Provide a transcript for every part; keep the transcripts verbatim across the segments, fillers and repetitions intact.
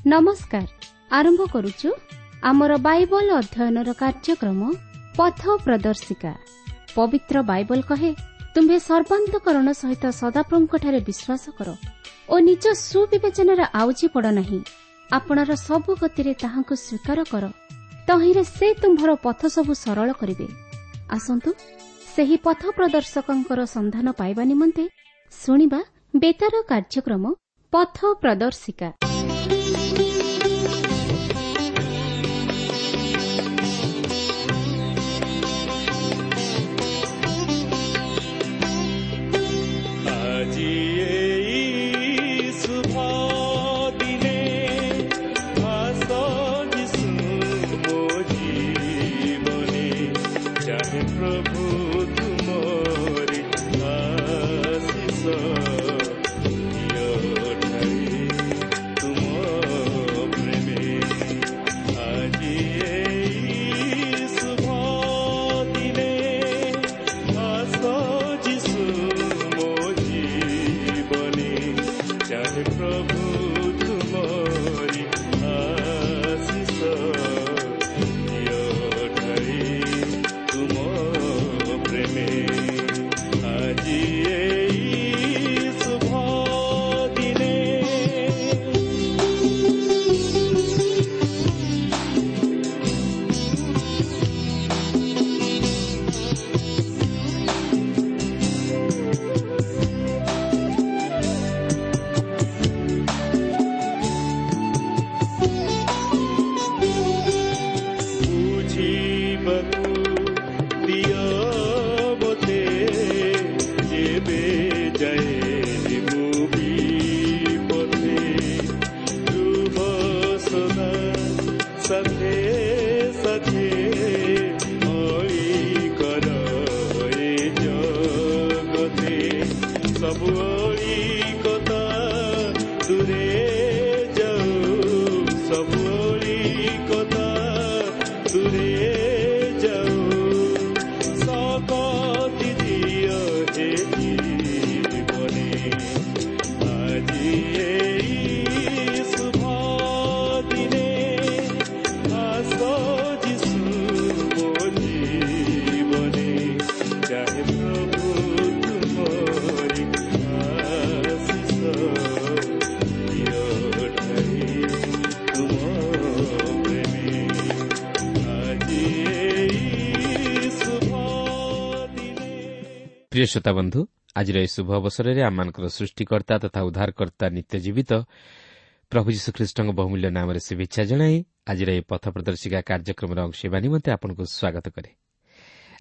ନମସ୍କାର। ଆରମ୍ଭ କରୁଛୁ ଆମର ବାଇବଲ ଅଧ୍ୟୟନର କାର୍ଯ୍ୟକ୍ରମ ପଥ ପ୍ରଦର୍ଶିକା। ପବିତ୍ର ବାଇବଲ କହେ, ତୁମ୍ଭେ ସର୍ବାନ୍ତକରଣ ସହିତ ସଦାପ୍ରଭୁଙ୍କଠାରେ ବିଶ୍ୱାସ କର ଓ ନିଜ ସୁବିବେଚନାରେ ଆଉଜି ପଡ଼ ନାହିଁ। ଆପଣାର ସବୁ ଗତିରେ ତାହାଙ୍କୁ ସ୍ୱୀକାର କର, ତହିଁରେ ସେ ତୁମ୍ଭର ପଥ ସବୁ ସରଳ କରିବେ। ଆସନ୍ତୁ ସେହି ପଥ ପ୍ରଦର୍ଶକଙ୍କର ସନ୍ଧାନ ପାଇବା ନିମନ୍ତେ ଶୁଣିବା ବେତାର କାର୍ଯ୍ୟକ୍ରମ ପଥ ପ୍ରଦର୍ଶିକା। ଆଜି ଏଇ ଶୁଭ ଦିନେ ଆସ ଯୀଶୁ ମୋ ଜୀବନେ, ଚାହେ ପ୍ରଭୁ ତୁମରି ଆଶିଷ ଦିଅ ଢାଳି ତୁମ ପ୍ରେମେ। ଆଜି ଏଇ ଶୁଭ ଦିନେ ଆସ ଯୀଶୁ ମୋ ଜୀବନେ, ଚାହେ ପ୍ରଭୁ ତୁମରି ଆଶିଷ ଦିଅ ଢାଳି ତୁମ ପ୍ରେମେ। ଆଜି ଏଇ ଶୁଭ ଦିନେ। ବୁଝିବାକୁ ଦିଅ ମୋତେ ଯେବେ ଯାଏ ମୁଁ ବିପଥେ, ରୁହ ସଦା ସାଥେ ସାଥେ, ଅଳି କର ଏ ଜଗତେ। ସବୁ ଅଳିକତା ଦୂରେ ଯାଉ, ସବୁ ଅଳିକତା ଦୂରେ ଯାଉ, ଶକତି ଦିଅ ହେ ଜୀବନେ। ଆଜି ଏଇ ଶୁଭ ଦିନେ ଆସ ଯୀଶୁ ମୋ ଜୀବନେ, ଚାହେ ପ୍ରଭୁ ତୁମରି ଆଶିଷ ଦିଅ ଢାଳି ତୁମ ପ୍ରେମେ। ଆଜି ଏଇ ଶୁଭ ଦିନେ। ପ୍ରିୟ ଶ୍ରୋତା ବନ୍ଧୁ, ଆଜିର ଏହି ଶୁଭ ଅବସରରେ ଆମମାନଙ୍କର ସୃଷ୍ଟିକର୍ତ୍ତା ତଥା ଉଦ୍ଧାରକର୍ତ୍ତା ନିତ୍ୟ ଜୀବିତ ପ୍ରଭୁ ଯୀଶୁଖ୍ରୀଷ୍ଟଙ୍କ ବହୁମୂଲ୍ୟ ନାମରେ ଶୁଭେଚ୍ଛା ଜଣାଇ ଆଜିର ଏହି ପଥ ପ୍ରଦର୍ଶିକା କାର୍ଯ୍ୟକ୍ରମର ଅଂଶ ହେବା ନିମନ୍ତେ ଆପଣଙ୍କୁ ସ୍ୱାଗତ କରେ।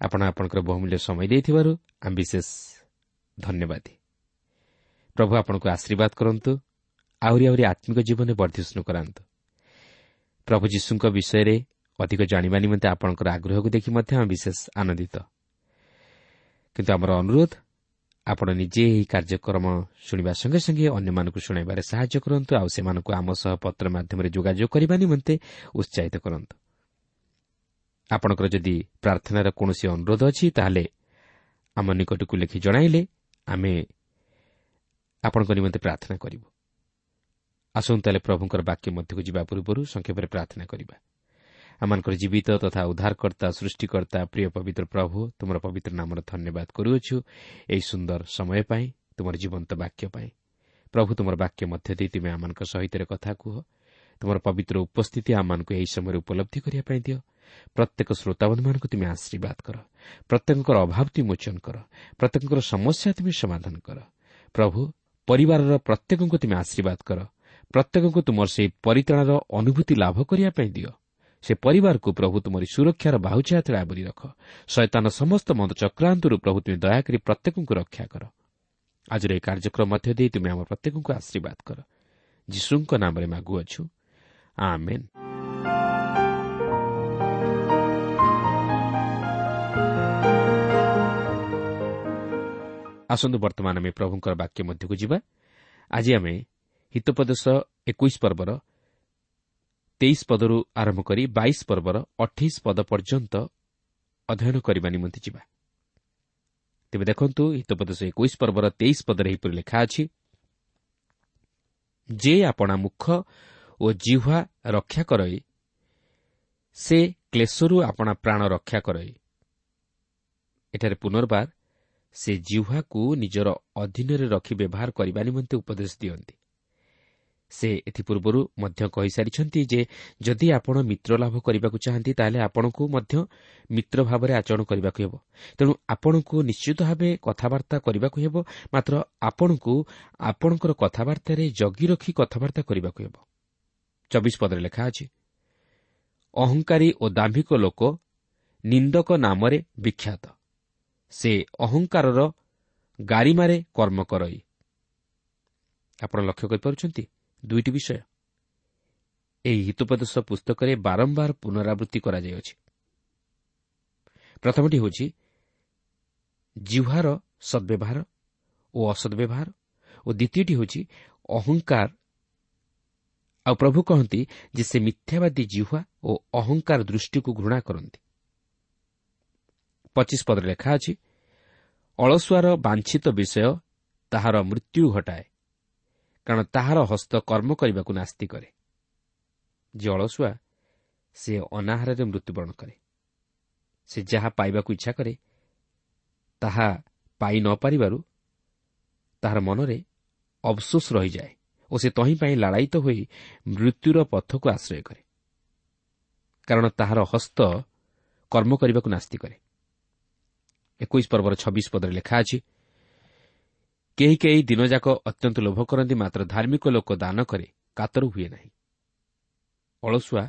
ଆପଣ ଆପଣଙ୍କର ବହୁମୂଲ୍ୟ ସମୟ ଦେଇଥିବାରୁ ଆମେ ବିଶେଷ ଧନ୍ୟବାଦୀ। ପ୍ରଭୁ ଆପଣଙ୍କୁ ଆଶୀର୍ବାଦ କରନ୍ତୁ, ଆହୁରି ଆହୁରି ଆତ୍ମିକ ଜୀବନରେ ବର୍ଦ୍ଧିଷ୍ଣୁ କରାନ୍ତୁ। ପ୍ରଭୁ ଯୀଶୁଙ୍କ ବିଷୟରେ ଅଧିକ ଜାଣିବା ନିମନ୍ତେ ଆପଣଙ୍କର ଆଗ୍ରହକୁ ଦେଖି ମଧ୍ୟ ଆମେ ବିଶେଷ ଆନନ୍ଦିତ। କିନ୍ତୁ ଆମର ଅନୁରୋଧ, ଆପଣ ନିଜେ ଏହି କାର୍ଯ୍ୟକ୍ରମ ଶୁଣିବା ସଙ୍ଗେ ସଙ୍ଗେ ଅନ୍ୟମାନଙ୍କୁ ଶୁଣାଇବାରେ ସାହାଯ୍ୟ କରନ୍ତୁ ଆଉ ସେମାନଙ୍କୁ ଆମ ସହ ପତ୍ର ମାଧ୍ୟମରେ ଯୋଗାଯୋଗ କରିବା ନିମନ୍ତେ ଉତ୍ସାହିତ କରନ୍ତୁ। ଆପଣଙ୍କର ଯଦି ପ୍ରାର୍ଥନାର କୌଣସି ଅନୁରୋଧ ଅଛି, ତାହେଲେ ଆମ ନିକଟକୁ ଲେଖି ଜଣାଇଲେ ଆମେ ଆପଣଙ୍କ ନିମନ୍ତେ ପ୍ରାର୍ଥନା କରିବୁ। ଆସନ୍ତୁ ତାହେଲେ ପ୍ରଭୁଙ୍କର ବାକ୍ୟ ମଧ୍ୟକୁ ଯିବା ପୂର୍ବରୁ ସଂକ୍ଷେପରେ ପ୍ରାର୍ଥନା କରିବା। ଆମମାନଙ୍କର ଜୀବିତ ତଥା ଉଦ୍ଧାରକର୍ତ୍ତା, ସୃଷ୍ଟିକର୍ତ୍ତା, ପ୍ରିୟ ପବିତ୍ର ପ୍ରଭୁ, ତୁମର ପବିତ୍ର ନାମର ଧନ୍ୟବାଦ କରୁଅଛୁ ଏହି ସୁନ୍ଦର ସମୟ ପାଇଁ, ତୁମର ଜୀବନ୍ତ ବାକ୍ୟ ପାଇଁ। ପ୍ରଭୁ, ତୁମର ବାକ୍ୟ ମଧ୍ୟ ଦେଇ ତୁମେ ଆମମାନଙ୍କ ସହିତ କଥା କୁହ। ତୁମର ପବିତ୍ର ଉପସ୍ଥିତି ଆମମାନଙ୍କୁ ଏହି ସମୟରେ ଉପଲବ୍ଧି କରିବା ପାଇଁ ଦିଅ। ପ୍ରତ୍ୟେକ ଶ୍ରୋତାବନ୍ଧୁମାନଙ୍କୁ ତୁମେ ଆଶୀର୍ବାଦ କର, ପ୍ରତ୍ୟେକଙ୍କର ଅଭାବ ତୁମେ ମୋଚନ କର, ପ୍ରତ୍ୟେକଙ୍କର ସମସ୍ୟା ତୁମେ ସମାଧାନ କର। ପ୍ରଭୁ, ପରିବାରର ପ୍ରତ୍ୟେକଙ୍କୁ ତୁମେ ଆଶୀର୍ବାଦ କର, ପ୍ରତ୍ୟେକଙ୍କୁ ତୁମର ସେହି ପରିତ୍ରାଣର ଅନୁଭୂତି ଲାଭ କରିବା ପାଇଁ ଦିଅ। ସେ ପରିବାରକୁ ପ୍ରଭୁ ତୁମରି ସୁରକ୍ଷାର ବାହୁଛାୟା ତଳେ ଆବୋରି ରଖ। ଶୟତାନ ସମସ୍ତ ମନ୍ଦ ଚକ୍ରାନ୍ତରୁ ପ୍ରଭୁ ତୁମେ ଦୟାକରି ପ୍ରତ୍ୟେକଙ୍କୁ ରକ୍ଷା କର। ଆଜିର ଏହି କାର୍ଯ୍ୟକ୍ରମ ମଧ୍ୟ ଦେଇ ତୁମେ ଆମ ପ୍ରତ୍ୟେକଙ୍କୁ ଆଶୀର୍ବାଦ କର। ଯୀଶୁଙ୍କ ନାମରେ ମାଗୁଅଛୁ, ଆମେନ୍। ଆସନ୍ତୁ ବର୍ତ୍ତମାନ ଆମେ ପ୍ରଭୁଙ୍କର ବାକ୍ୟ ମଧ୍ୟକୁ ଯିବା। ଆଜି ଆମେ ହିତୋପଦେଶ ଏକୋଇଶ ପର୍ବର ତେଇଶ ପଦରୁ ଆରମ୍ଭ କରି ବାଇଶ ପର୍ବର ଅଠେଇଶ ପଦ ପର୍ଯ୍ୟନ୍ତ ଅଧ୍ୟୟନ କରିବା ନିମନ୍ତେ ଯିବା। ତେବେ ଦେଖନ୍ତୁ, ହିତୋପଦେଶ ଏକୋଇଶ ପର୍ବର ତେଇଶ ପଦରେ ଏହିପରି ଲେଖା ଅଛି, ଯେ ଆପଣା ମୁଖ ଓ ଜିହ୍ୱା ରକ୍ଷା କରଇ, ସେ କ୍ଲେଶରୁ ଆପଣା ପ୍ରାଣ ରକ୍ଷା କରଇ। ଏଠାରେ ପୁନର୍ବାର ସେ ଜିହ୍ୱାକୁ ନିଜର ଅଧୀନରେ ରଖି ବ୍ୟବହାର କରିବା ନିମନ୍ତେ ଉପଦେଶ ଦିଅନ୍ତି। ସେ ଏଥିପୂର୍ବରୁ ମଧ୍ୟ କହିସାରିଛନ୍ତି ଯେ ଯଦି ଆପଣ ମିତ୍ର ଲାଭ କରିବାକୁ ଚାହାନ୍ତି, ତାହେଲେ ଆପଣଙ୍କୁ ମଧ୍ୟ ମିତ୍ର ଭାବରେ ଆଚରଣ କରିବାକୁ ହେବ। ତେଣୁ ଆପଣଙ୍କୁ ନିଶ୍ଚିତ ଭାବେ କଥାବାର୍ତ୍ତା କରିବାକୁ ହେବ, ମାତ୍ର ଆପଣଙ୍କୁ ଆପଣଙ୍କର କଥାବାର୍ତ୍ତାରେ ଜଗି ରଖି କଥାବାର୍ତ୍ତା କରିବାକୁ ହେବ। ଚବିଶ ପଦରେ ଲେଖା ଅଛି, ଅହଙ୍କାରୀ ଓ ଦାମ୍ଭିକ ଲୋକ ନିନ୍ଦକ ନାମରେ ବିଖ୍ୟାତ, ସେ ଅହଙ୍କାରର ଗାରିମାରେ କର୍ମ କରଇ। ଆପଣ ଲକ୍ଷ୍ୟ କରିପାରୁଛନ୍ତି ଦୁଇଟି ବିଷୟ ଏହି ହିତୋପଦେଶ ପୁସ୍ତକରେ ବାରମ୍ବାର ପୁନରାବୃତ୍ତି କରାଯାଇଅଛି। ପ୍ରଥମଟି ହେଉଛି ଜିହ୍ୱାର ସଦ୍ବ୍ୟବହାର ଓ ଅସଦ୍ବ୍ୟବହାର ଓ ଦ୍ୱିତୀୟଟି ହେଉଛି ଅହଙ୍କାର। ଆଉ ପ୍ରଭୁ କହନ୍ତି ଯେ ସେ ମିଥ୍ୟାବାଦୀ ଜିହ୍ୱା ଓ ଅହଙ୍କାର ଦୃଷ୍ଟିକୁ ଘୃଣା କରନ୍ତି। ପଚିଶ ପଦରେ ଲେଖା ଅଛି, ଅଳସୁଆର ବାଞ୍ଛିତ ବିଷୟ ତାହାର ମୃତ୍ୟୁ ଘଟାଏ, କାରଣ ତାହାର ହସ୍ତ କର୍ମ କରିବାକୁ ନାସ୍ତି କରେ। ଯିଏ ଅଳସୁଆ ସେ ଅନାହାରରେ ମୃତ୍ୟୁବରଣ କରେ। ସେ ଯାହା ପାଇବାକୁ ଇଚ୍ଛା କରେ ତାହା ପାଇ ନ ପାରିବାରୁ ତାହାର ମନରେ ଅଫସୋସ ରହିଯାଏ ଓ ସେ ତହିଁ ପାଇଁ ଲାଳାୟିତ ହୋଇ ମୃତ୍ୟୁର ପଥକୁ ଆଶ୍ରୟ କରେ, କାରଣ ତାହାର ହସ୍ତ କର୍ମ କରିବାକୁ ନାସ୍ତି କରେ। ଏକୋଇଶ ପର୍ବର ଛବିଶ ପଦରେ ଲେଖା ଅଛି, କେହି କେହି ଦିନଯାକ ଅତ୍ୟନ୍ତ ଲୋଭ କରନ୍ତି, ମାତ୍ର ଧାର୍ମିକ ଲୋକ ଦାନ କରେ, କାତର ହୁଏ ନାହିଁ। ଅଳସୁଆ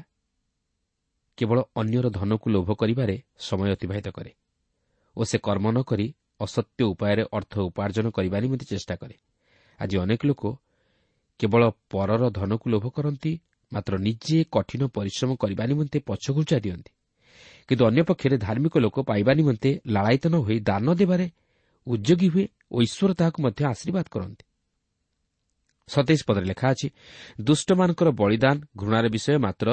କେବଳ ଅନ୍ୟର ଧନକୁ ଲୋଭ କରିବାରେ ସମୟ ଅତିବାହିତ କରେ ଓ ସେ କର୍ମ ନ କରି ଅସତ୍ୟ ଉପାୟରେ ଅର୍ଥ ଉପାର୍ଜନ କରିବା ନିମନ୍ତେ ଚେଷ୍ଟା କରେ। ଆଜି ଅନେକ ଲୋକ କେବଳ ପରର ଧନକୁ ଲୋଭ କରନ୍ତି, ମାତ୍ର ନିଜେ କଠିନ ପରିଶ୍ରମ କରିବା ନିମନ୍ତେ ପଛଘୁଞ୍ଚା ଦିଅନ୍ତି। କିନ୍ତୁ ଅନ୍ୟପକ୍ଷରେ ଧାର୍ମିକ ଲୋକ ପାଇବା ନିମନ୍ତେ ଲାଳାୟିତ ନ ହୋଇ ଦାନ ଦେବାରେ ଉଦ୍ୟୋଗୀ ହୁଏ ଓ ଈଶ୍ୱର ତାହାକୁ ମଧ୍ୟ ଆଶୀର୍ବାଦ କରନ୍ତି। ସତେଇଶ ପଦରେ ଲେଖା ଅଛି, ଦୁଷ୍ଟମାନଙ୍କର ବଳିଦାନ ଘୃଣାର ବିଷୟ, ମାତ୍ର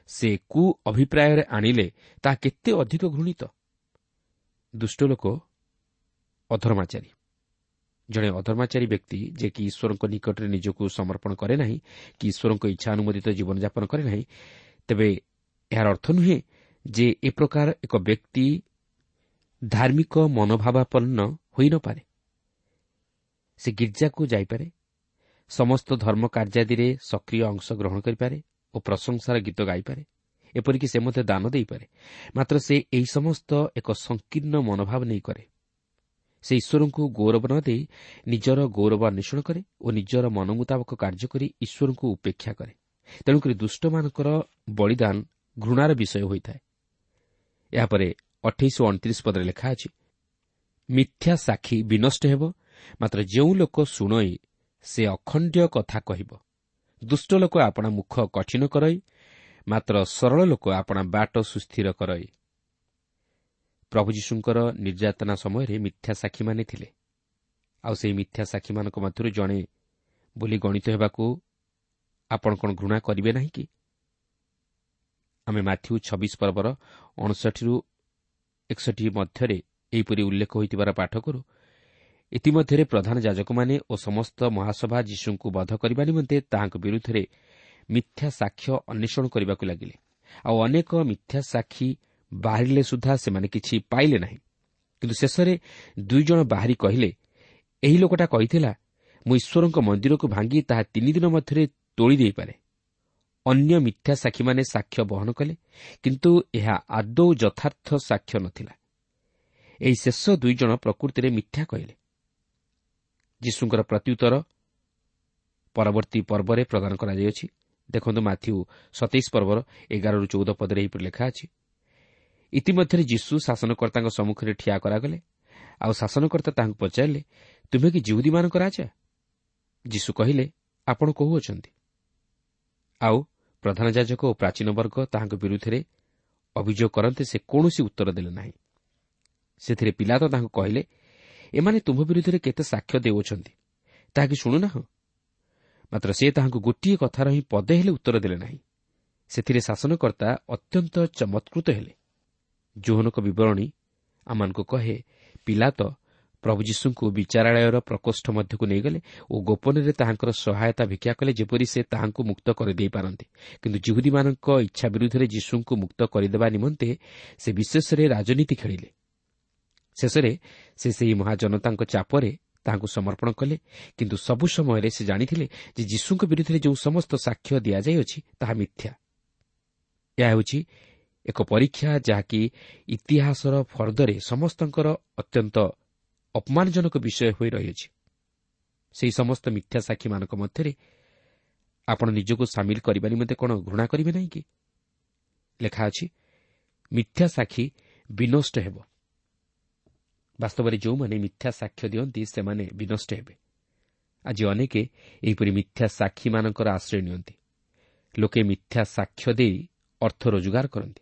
ସେ କୁ ଅଭିପ୍ରାୟରେ ଆଣିଲେ ତାହା କେତେ ଅଧିକ ଘୃଣିତ। ଦୁଷ୍ଟ ଲୋକ ଅଧର୍ମାଚାରୀ। ଜଣେ ଅଧର୍ମାଚାରୀ ବ୍ୟକ୍ତି ଯେ କି ଈଶ୍ୱରଙ୍କ ନିକଟରେ ନିଜକୁ ସମର୍ପଣ କରେ ନାହିଁ କି ଈଶ୍ୱରଙ୍କ ଇଚ୍ଛା ଅନୁମୋଦିତ ଜୀବନଯାପନ କରେ ନାହିଁ, ତେବେ ଏହାର ଅର୍ଥ ନୁହେଁ ଯେ ଏ ପ୍ରକାର ଏକ ବ୍ୟକ୍ତି ଧାର୍ମିକ ମନୋଭାବାପନ୍ନ ହୋଇନପାରେ। ସେ ଗିର୍ଜାକୁ ଯାଇପାରେ, ସମସ୍ତ ଧର୍ମ କାର୍ଯ୍ୟାଦିରେ ସକ୍ରିୟ ଅଂଶ ଗ୍ରହଣ କରିପାରେ ଓ ପ୍ରଶଂସାର ଗୀତ ଗାଇପାରେ, ଏପରିକି ସେ ମଧ୍ୟ ଦାନ ଦେଇପାରେ, ମାତ୍ର ସେ ଏହି ସମସ୍ତ ଏକ ସଂକୀର୍ଣ୍ଣ ମନୋଭାବ ନେଇ କରେ। ସେ ଈଶ୍ୱରଙ୍କୁ ଗୌରବ ନ ଦେଇ ନିଜର ଗୌରବ ଅନ୍ୱେଷଣ କରେ ଓ ନିଜର ମନ ମୁତାବକ କାର୍ଯ୍ୟ କରି ଈଶ୍ୱରଙ୍କୁ ଉପେକ୍ଷା କରେ। ତେଣୁକରି ଦୁଷ୍ଟମାନଙ୍କର ବଳିଦାନ ଘୃଣାର ବିଷୟ ହୋଇଥାଏ। ଏହାପରେ ଅଠେଇଶ ଓ ଅଣତିରିଶ ପଦରେ ଲେଖା ଅଛି, ମିଥ୍ୟା ସାକ୍ଷୀ ବିନଷ୍ଟ ହେବ, ମାତ୍ର ଯେଉଁ ଲୋକ ଶୁଣଇ ସେ ଅଖଣ୍ଡ୍ୟ କଥା କହିବ। ଦୁଷ୍ଟ ଲୋକ ଆପଣା ମୁଖ କଠିନ କରଇ, ମାତ୍ର ସରଳ ଲୋକ ଆପଣା ବାଟ ସୁସ୍ଥିର କରଇ। ପ୍ରଭୁ ଯୀଶୁଙ୍କର ନିର୍ଯାତନା ସମୟରେ ମିଥ୍ୟା ସାକ୍ଷୀମାନେ ଥିଲେ, ଆଉ ସେହି ମିଥ୍ୟା ସାକ୍ଷୀମାନଙ୍କ ମଧ୍ୟରୁ ଜଣେ ବୋଲି ଗଣିତ ହେବାକୁ ଆପଣ କ'ଣ ଘୃଣା କରିବେ ନାହିଁ କି? ଆମେ ମାଥ୍ୟୁ ଛବିଶ ପର୍ବର ଅଣଷଠିରୁ ଏକଷଠି ମଧ୍ୟରେ ଏହିପରି ଉଲ୍ଲେଖ ହୋଇଥିବାର ପାଠ କରୁ। ଇତିମଧ୍ୟରେ ପ୍ରଧାନ ଯାଜକମାନେ ଓ ସମସ୍ତ ମହାସଭା ଯୀଶୁଙ୍କୁ ବଧ କରିବା ନିମନ୍ତେ ତାହାଙ୍କ ବିରୁଦ୍ଧରେ ମିଥ୍ୟା ସାକ୍ଷ୍ୟ ଅନ୍ୱେଷଣ କରିବାକୁ ଲାଗିଲେ। ଆଉ ଅନେକ ମିଥ୍ୟା ସାକ୍ଷୀ ବାହାରିଲେ ସୁଦ୍ଧା ସେମାନେ କିଛି ପାଇଲେ ନାହିଁ। କିନ୍ତୁ ଶେଷରେ ଦୁଇ ଜଣ ବାହାରି କହିଲେ, ଏହି ଲୋକଟା କହିଥିଲା, ମୁଁ ଈଶ୍ୱରଙ୍କ ମନ୍ଦିରକୁ ଭାଙ୍ଗି ତାହା ତିନି ଦିନ ମଧ୍ୟରେ ତୋଳି ଦେଇପାରେ। ଅନ୍ୟ ମିଥ୍ୟା ସାକ୍ଷୀମାନେ ସାକ୍ଷ୍ୟ ବହନ କଲେ, କିନ୍ତୁ ଏହା ଆଦୌ ଯଥାର୍ଥ ସାକ୍ଷ୍ୟ ନଥିଲା। ଏହି ଶେଷ ଦୁଇ ଜଣ ପ୍ରକୃତିରେ ମିଥ୍ୟା କହିଲେ। ଯୀଶୁଙ୍କର ପ୍ରତ୍ୟୁତ୍ତର ପରବର୍ତ୍ତୀ ପର୍ବରେ ପ୍ରଦାନ କରାଯାଇଅଛି। ଦେଖନ୍ତୁ ମାଥ୍ୟୁ ସତେଇଶ ପର୍ବର ଏଗାରରୁ ଚଉଦ ପଦରେ ଏହିପରି ଲେଖା ଅଛି, ଇତିମଧ୍ୟରେ ଯୀଶୁ ଶାସନକର୍ତ୍ତାଙ୍କ ସମ୍ମୁଖରେ ଠିଆ କରାଗଲେ। ଆଉ ଶାସନକର୍ତ୍ତା ତାହାଙ୍କୁ ପଚାରିଲେ, ତୁମେ କି ଯିହୁଦୀମାନଙ୍କ ରାଜା? ଯୀଶୁ କହିଲେ, ଆପଣ କହୁଅଛନ୍ତି। ଆଉ ପ୍ରଧାନ ଯାଜକ ଓ ପ୍ରାଚୀନ ବର୍ଗ ତାହାଙ୍କ ବିରୁଦ୍ଧରେ ଅଭିଯୋଗ କରନ୍ତେ ସେ କୌଣସି ଉତ୍ତର ଦେଲେ ନାହିଁ। ସେଥିରେ ପିଲାତ ତାହାଙ୍କୁ କହିଲେ, ଏମାନେ ତୁମ୍ଭ ବିରୁଦ୍ଧରେ କେତେ ସାକ୍ଷ୍ୟ ଦେଉଅଛନ୍ତି, ତାହା କି ଶୁଣୁନାହଁ? ମାତ୍ର ସେ ତାହାଙ୍କୁ ଗୋଟିଏ କଥାର ହିଁ ପଦେ ହେଲେ ଉତ୍ତର ଦେଲେ ନାହିଁ। ସେଥିରେ ଶାସନକର୍ତ୍ତା ଅତ୍ୟନ୍ତ ଚମତ୍କୃତ ହେଲେ। ଯୋହନଙ୍କ ବିବରଣୀ ଆମମାନଙ୍କୁ କହେ, ପିଲାତ ପ୍ରଭୁ ଯୀଶୁଙ୍କୁ ବିଚାରାଳୟର ପ୍ରକୋଷ୍ଠ ମଧ୍ୟକୁ ନେଇଗଲେ ଓ ଗୋପନରେ ତାହାଙ୍କର ସହାୟତା ଭିକ୍ଷା କଲେ, ଯେପରି ସେ ତାହାଙ୍କୁ ମୁକ୍ତ କରିଦେଇପାରନ୍ତି। କିନ୍ତୁ ଯିହୁଦୀମାନଙ୍କ ଇଚ୍ଛା ବିରୁଦ୍ଧରେ ଯୀଶୁଙ୍କୁ ମୁକ୍ତ କରିଦେବା ନିମନ୍ତେ ସେ ବିଶେଷରେ ରାଜନୀତି ଖେଳିଲେ। ଶେଷରେ ସେ ସେହି ମହାଜନତାଙ୍କ ଚାପରେ ତାହାଙ୍କୁ ସମର୍ପଣ କଲେ। କିନ୍ତୁ ସବୁ ସମୟରେ ସେ ଜାଣିଥିଲେ ଯେ ଯୀଶୁଙ୍କ ବିରୁଦ୍ଧରେ ଯେଉଁ ସମସ୍ତ ସାକ୍ଷ୍ୟ ଦିଆଯାଇଅଛି ତାହା ମିଥ୍ୟା। ଏହା ହେଉଛି ଏକ ପରୀକ୍ଷା, ଯାହାକି ଇତିହାସର ଫର୍ଦ୍ଦରେ ସମସ୍ତଙ୍କର ଅତ୍ୟନ୍ତ ଅପମାନଜନକ ବିଷୟ ହୋଇ ରହିଅଛି। ସେହି ସମସ୍ତ ମିଥ୍ୟା ସାକ୍ଷୀମାନଙ୍କ ମଧ୍ୟରେ ଆପଣ ନିଜକୁ ସାମିଲ କରିବା ନିମନ୍ତେ କ'ଣ ଘୃଣା କରିବେ ନାହିଁ କି? ଲେଖା ଅଛି, ମିଥ୍ୟା ସାକ୍ଷୀ ବିନଷ୍ଟ ହେବ। ବାସ୍ତବରେ ଯେଉଁମାନେ ମିଥ୍ୟା ସାକ୍ଷ୍ୟ ଦିଅନ୍ତି ସେମାନେ ବିନଷ୍ଟ ହେବେ। ଆଜି ଅନେକ ଏହିପରି ମିଥ୍ୟା ସାକ୍ଷୀମାନଙ୍କର ଆଶ୍ରୟ ନିଅନ୍ତି। ଲୋକେ ମିଥ୍ୟା ସାକ୍ଷ୍ୟ ଦେଇ ଅର୍ଥ ରୋଜଗାର କରନ୍ତି,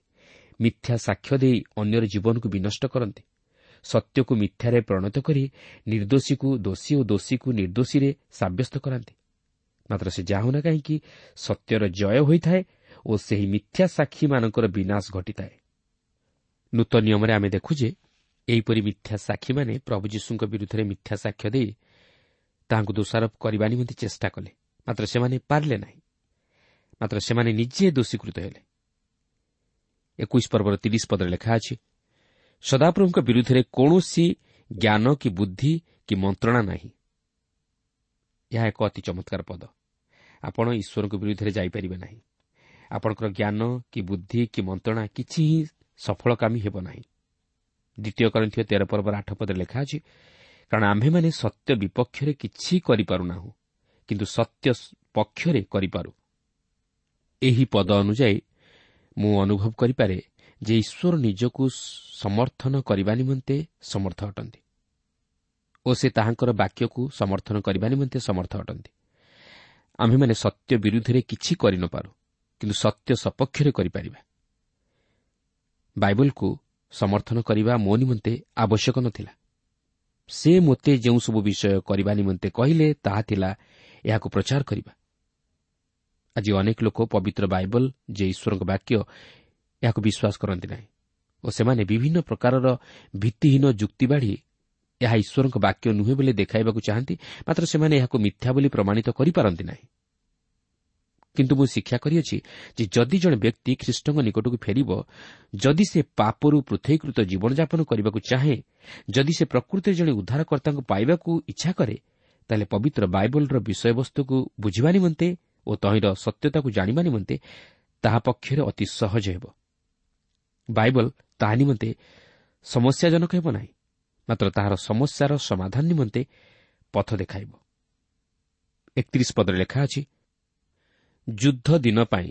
ମିଥ୍ୟା ସାକ୍ଷ୍ୟ ଦେଇ ଅନ୍ୟର ଜୀବନକୁ ବିନଷ୍ଟ କରନ୍ତି, ସତ୍ୟକୁ ମିଥ୍ୟାରେ ପରିଣତ କରି ନିର୍ଦ୍ଦୋଷୀକୁ ଦୋଷୀ ଓ ଦୋଷୀକୁ ନିର୍ଦ୍ଦୋଷୀରେ ସାବ୍ୟସ୍ତ କରାନ୍ତି। ମାତ୍ର ସେ ଯାହା ହେଉନା କାହିଁକି ସତ୍ୟର ଜୟ ହୋଇଥାଏ ଓ ସେହି ମିଥ୍ୟା ସାକ୍ଷୀମାନଙ୍କର ବିନାଶ ଘଟିଥାଏ। ନୂତନ ନିୟମରେ ଆମେ ଦେଖୁ ଯେ ଏହିପରି ମିଥ୍ୟା ସାକ୍ଷୀମାନେ ପ୍ରଭୁ ଯୀଶୁଙ୍କ ବିରୁଦ୍ଧରେ ମିଥ୍ୟା ସାକ୍ଷ୍ୟ ଦେଇ ତାହାଙ୍କୁ ଦୋଷାରୋପ କରିବା ନିମନ୍ତେ ଚେଷ୍ଟା କଲେ, ମାତ୍ର ସେମାନେ ପାରିଲେ ନାହିଁ। ମାତ୍ର ସେମାନେ ନିଜେ ଦୋଷୀକୃତ ହେଲେ। ଏକୋଇଶ ପର୍ବର ତିରିଶ ପଦରେ ଲେଖା ଅଛି, ସଦାପ୍ରଭୁଙ୍କ ବିରୁଦ୍ଧରେ କୌଣସି ଜ୍ଞାନ କି ବୁଦ୍ଧି କି ମନ୍ତ୍ରଣା ନାହିଁ। ଏହା ଏକ ଅତି ଚମତ୍କାର ପଦ। ଆପଣ ଈଶ୍ୱରଙ୍କ ବିରୁଦ୍ଧରେ ଯାଇପାରିବେ ନାହିଁ। ଆପଣଙ୍କର ଜ୍ଞାନ କି ବୁଦ୍ଧି କି ମନ୍ତ୍ରଣା କିଛି ହିଁ ସଫଳକାମୀ ହେବ ନାହିଁ। ଦ୍ୱିତୀୟ କରିନ୍ଥୀୟ ତେର ପର୍ବର ଆଠ ପଦରେ ଲେଖା ଅଛି, କାରଣ ଆମ୍ଭେମାନେ ସତ୍ୟ ବିପକ୍ଷରେ କିଛି କରିପାରୁନାହୁଁ, କିନ୍ତୁ ସତ୍ୟ ପକ୍ଷରେ କରିପାରୁ। ଏହି ପଦ ଅନୁଯାୟୀ ମୁଁ ଅନୁଭବ କରିପାରେ ଯେ ଈଶ୍ୱର ନିଜକୁ ସମର୍ଥନ କରିବା ନିମନ୍ତେ ସମର୍ଥ ଅଟନ୍ତି ଓ ସେ ତାହାଙ୍କର ବାକ୍ୟକୁ ସମର୍ଥନ କରିବା ନିମନ୍ତେ ସମର୍ଥ ଅଟନ୍ତି। ଆମ୍ଭେମାନେ ସତ୍ୟ ବିରୁଦ୍ଧରେ କିଛି କରିନପାରୁ, କିନ୍ତୁ ସତ୍ୟ ସପକ୍ଷରେ କରିପାରିବା। ବାଇବଲକୁ ସମର୍ଥନ କରିବା ମୋ ନିମନ୍ତେ ଆବଶ୍ୟକ ନଥିଲା। ସେ ମୋତେ ଯେଉଁ ସବୁ ବିଷୟ କରିବା ନିମନ୍ତେ କହିଲେ ତାହା ଥିଲା ଏହାକୁ ପ୍ରଚାର କରିବା। ଆଜି ଅନେକ ଲୋକ ପବିତ୍ର ବାଇବଲ, ଯେ ଈଶ୍ୱରଙ୍କ ବାକ୍ୟ, ଏହାକୁ ବିଶ୍ୱାସ କରନ୍ତି ନାହିଁ ଓ ସେମାନେ ବିଭିନ୍ନ ପ୍ରକାରର ଭିତ୍ତିହୀନ ଯୁକ୍ତି ବାଢ଼ି ଏହା ଈଶ୍ୱରଙ୍କ ବାକ୍ୟ ନୁହେଁ ବୋଲି ଦେଖାଇବାକୁ ଚାହାନ୍ତି। ମାତ୍ର ସେମାନେ ଏହାକୁ ମିଥ୍ୟା ବୋଲି ପ୍ରମାଣିତ କରିପାରନ୍ତି ନାହିଁ। କିନ୍ତୁ ମୁଁ ଶିକ୍ଷା କରିଅଛି ଯେ ଯଦି ଜଣେ ବ୍ୟକ୍ତି ଖ୍ରୀଷ୍ଟଙ୍କ ନିକଟକୁ ଫେରିବ, ଯଦି ସେ ପାପରୁ ପୃଥକୀକୃତ ଜୀବନଯାପନ କରିବାକୁ ଚାହେଁ, ଯଦି ସେ ପ୍ରକୃତିରେ ଜଣେ ଉଦ୍ଧାରକର୍ତ୍ତାଙ୍କୁ ପାଇବାକୁ ଇଚ୍ଛା କରେ, ତାହେଲେ ପବିତ୍ର ବାଇବଲର ବିଷୟବସ୍ତୁକୁ ବୁଝିବା ନିମନ୍ତେ ଓ ତହିଁର ସତ୍ୟତାକୁ ଜାଣିବା ନିମନ୍ତେ ତାହା ପକ୍ଷରେ ଅତି ସହଜ ହେବ। ବାଇବଲ ତାହା ନିମନ୍ତେ ସମସ୍ୟାଜନକ ହେବ ନାହିଁ, ମାତ୍ର ତାହାର ସମସ୍ୟାର ସମାଧାନ ନିମନ୍ତେ ପଥ ଦେଖାଇବ। ଏକତିରିଶ ପଦରେ ଲେଖା ଅଛି, ଯୁଦ୍ଧ ଦିନ ପାଇଁ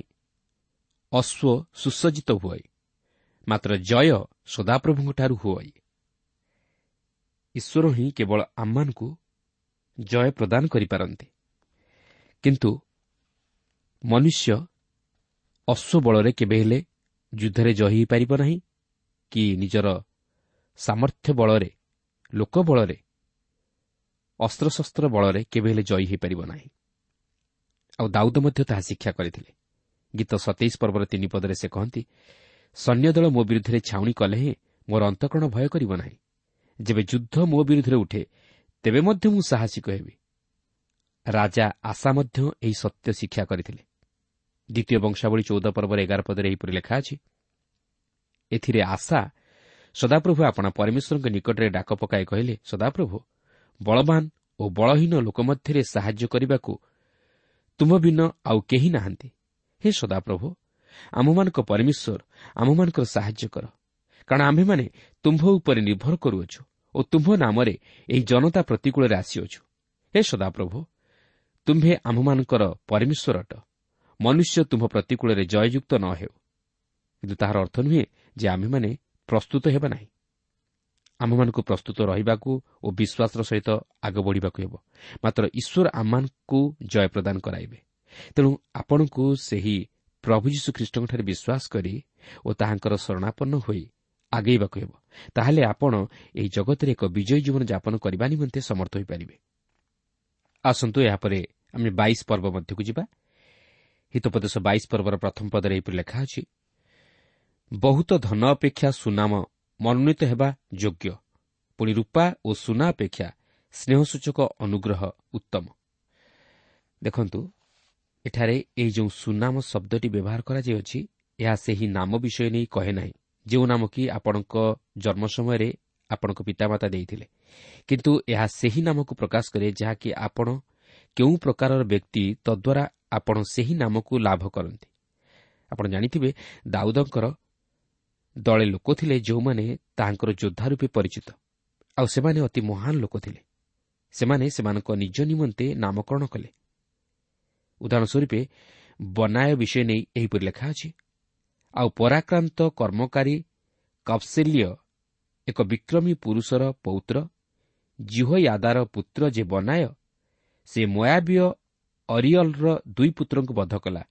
ଅଶ୍ୱ ସୁସଜ୍ଜିତ ହୁଅଇ, ମାତ୍ର ଜୟ ସଦାପ୍ରଭୁଙ୍କଠାରୁ ହୁଅଇ। ଈଶ୍ୱର ହିଁ କେବଳ ଆମମାନଙ୍କୁ ଜୟ ପ୍ରଦାନ କରିପାରନ୍ତି, କିନ୍ତୁ ମନୁଷ୍ୟ ଅଶ୍ୱ ବଳରେ କେବେ ହେଲେ ଯୁଦ୍ଧରେ ଜୟୀ ହୋଇପାରିବ ନାହିଁ କି ନିଜର ସାମର୍ଥ୍ୟ ବଳରେ, ଲୋକ ବଳରେ, ଅସ୍ତ୍ରଶସ୍ତ୍ର ବଳରେ କେବେ ହେଲେ ଜୟୀ ହୋଇପାରିବ ନାହିଁ। ଆଉ ଦାଉଦ ମଧ୍ୟ ତାହା ଶିକ୍ଷା କରିଥିଲେ। ଗୀତ ସତେଇଶ ପର୍ବର ତିନି ପଦରେ ସେ କହନ୍ତି, ସୈନ୍ୟଦଳ ମୋ ବିରୁଦ୍ଧରେ ଛାଉଣି କଲେ ହେଁ ମୋର ଅନ୍ତଃକରଣ ଭୟ କରିବ ନାହିଁ। ଯେବେ ଯୁଦ୍ଧ ମୋ ବିରୁଦ୍ଧରେ ଉଠେ ତେବେ ମଧ୍ୟ ମୁଁ ସାହସିକ ହେବି। ରାଜା ଆଶା ମଧ୍ୟ ଏହି ସତ୍ୟ ଶିକ୍ଷା କରିଥିଲେ। ଦ୍ୱିତୀୟ ବଂଶାବଳୀ ଚଉଦ ପର୍ବର ଏଗାର ପଦରେ ଏହିପରି ଲେଖା ଅଛି, ଏଥିରେ ଆଶା ସଦାପ୍ରଭୁ ଆପଣା ପରମେଶ୍ୱରଙ୍କ ନିକଟରେ ଡାକ ପକାଇ କହିଲେ, ସଦାପ୍ରଭୁ ବଳବାନ ଓ ବଳହୀନ ଲୋକ ମଧ୍ୟରେ ସାହାଯ୍ୟ କରିବାକୁ ତୁମ୍ଭ ଭିନ୍ନ ଆଉ କେହି ନାହାନ୍ତି। ହେ ସଦାପ୍ରଭୁ, ଆମ୍ଭମାନଙ୍କ ପରମେଶ୍ୱର, ଆମ୍ଭମାନଙ୍କର ସାହାଯ୍ୟ କର, କାରଣ ଆମ୍ଭେମାନେ ତୁମ୍ଭ ଉପରେ ନିର୍ଭର କରୁଅଛୁ ଓ ତୁମ୍ଭ ନାମରେ ଏହି ଜନତା ପ୍ରତିକୂଳରେ ଆସିଅଛୁ। ହେ ସଦାପ୍ରଭୁ, ତୁମ୍ଭେ ଆମ୍ଭମାନଙ୍କର ପରମେଶ୍ୱର ଅଟ, ମନୁଷ୍ୟ ତୁମ୍ଭ ପ୍ରତିକୂଳରେ ଜୟଯୁକ୍ତ ନ ହେଉ। କିନ୍ତୁ ତାହାର ଅର୍ଥ ନୁହେଁ ଯେ ଆମ୍ଭେମାନେ ପ୍ରସ୍ତୁତ ହେବା ନାହିଁ। ଆମ୍ଭମାନଙ୍କୁ ପ୍ରସ୍ତୁତ ରହିବାକୁ ଓ ବିଶ୍ୱାସର ସହିତ ଆଗ ବଢ଼ିବାକୁ ହେବ। ମାତ୍ର ଈଶ୍ୱର ଆମମାନଙ୍କୁ ଜୟ ପ୍ରଦାନ କରାଇବେ। ତେଣୁ ଆପଣଙ୍କୁ ସେହି ପ୍ରଭୁ ଯୀଶୁଖ୍ରୀଷ୍ଟଙ୍କଠାରେ ବିଶ୍ୱାସ କରି ଓ ତାହାଙ୍କର ଶରଣାପନ୍ନ ହୋଇ ଆଗେଇବାକୁ ହେବ। ତାହେଲେ ଆପଣ ଏହି ଜଗତରେ ଏକ ବିଜୟୀ ଜୀବନ ଯାପନ କରିବା ନିମନ୍ତେ ସମର୍ଥ ହୋଇପାରିବେ। ଆସନ୍ତୁ ଏହାପରେ ଆମେ ବାଇଶ ପର୍ବ ମଧ୍ୟକୁ ଯିବା। ହିତୋପଦେଶ ବାଇଶ ପର୍ବର ପ୍ରଥମ ପଦରେ ଏହିପରି ଲେଖା ଅଛି, ବହୁତ ଧନ ଅପେକ୍ଷା ସୁନାମ ମନୋନୀତ ହେବା ଯୋଗ୍ୟ, ପୁଣି ରୂପା ଓ ସୁନା ଅପେକ୍ଷା ସ୍ନେହସୂଚକ ଅନୁଗ୍ରହ ଉତ୍ତମ। ଦେଖନ୍ତୁ, ଏଠାରେ ଏହି ଯେଉଁ ସୁନାମ ଶବ୍ଦଟି ବ୍ୟବହାର କରାଯାଇଅଛି, ଏହା ସେହି ନାମ ବିଷୟ ନେଇ କହେ ନାହିଁ ଯେଉଁ ନାମ କି ଆପଣଙ୍କ ଜନ୍ମ ସମୟରେ ଆପଣଙ୍କ ପିତାମାତା ଦେଇଥିଲେ, କିନ୍ତୁ ଏହା ସେହି ନାମକୁ ପ୍ରକାଶ କରେ ଯାହାକି ଆପଣ କେଉଁ ପ୍ରକାରର ବ୍ୟକ୍ତି, ତଦ୍ୱାରା ଆପଣ ସେହି ନାମକୁ ଲାଭ କରନ୍ତି। ଆପଣ ଜାଣିଥିବେ, ଦାଉଦଙ୍କର ଦଳେ ଲୋକ ଥିଲେ ଯେଉଁମାନେ ତାହାଙ୍କର ଯୋଦ୍ଧା ରୂପେ ପରିଚିତ, ଆଉ ସେମାନେ ଅତି ମହାନ ଲୋକ ଥିଲେ। ସେମାନେ ସେମାନଙ୍କ ନିଜ ନିମନ୍ତେ ନାମକରଣ କଲେ। ଉଦାହରଣ ସ୍ୱରୂପେ ବନାୟ ବିଷୟ ନେଇ ଏହିପରି ଲେଖା ଅଛି, ଆଉ ପରାକ୍ରାନ୍ତ କର୍ମକାରୀ କପ୍ସେଲୀୟ ଏକ ବିକ୍ରମୀ ପୁରୁଷର ପୌତ୍ର ଜିହୋୟାଦାର ପୁତ୍ର ଯେ ବନାୟ, ସେ ମୋୟାବୀୟ ଅରିଅଲ୍ର ଦୁଇ ପୁତ୍ରଙ୍କୁ ବଧ କଲା।